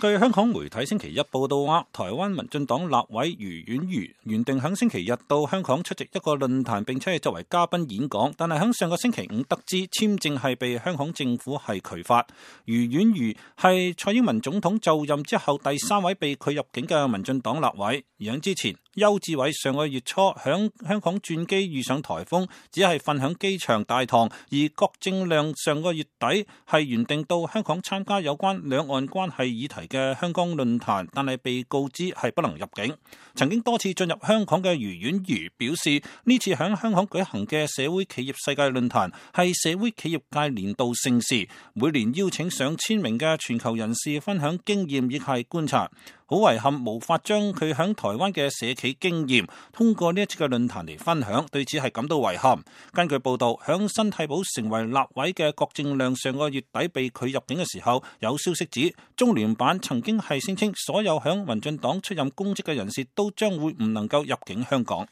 據香港媒體星期一報道話，台灣民進黨立委余婉瑜原定喺星期日到香港出席一個論壇，並且係作為嘉賓演講，但係喺上個星期五得知簽證係被香港政府係拒發。余婉瑜係蔡英文總統就任之後第3位被拒入境嘅民進黨立委。而喺之前，邱志偉上個月初響香港轉機遇上颱風，只係瞓響機場大堂；而郭正亮上個月底係原定到香港參加有關兩岸關係議題嘅香港論壇，但係被告知係不能入境。曾經多次進入香港嘅余婉瑜表示，呢次響香港舉行嘅社會企業世界論壇係社會企業界年度盛事，每年邀請上千名嘅全球人士分享經驗亦係觀察。好遺憾無法將佢響台灣嘅社企經驗通過呢一次嘅論壇嚟分享，對此係感到遺憾。根據報道，響新替補成為立委嘅郭正亮上個月底被拒入境嘅時候，有消息指中聯辦曾經係聲稱所有響民進黨出任公職嘅人士都將會唔能夠入境香港。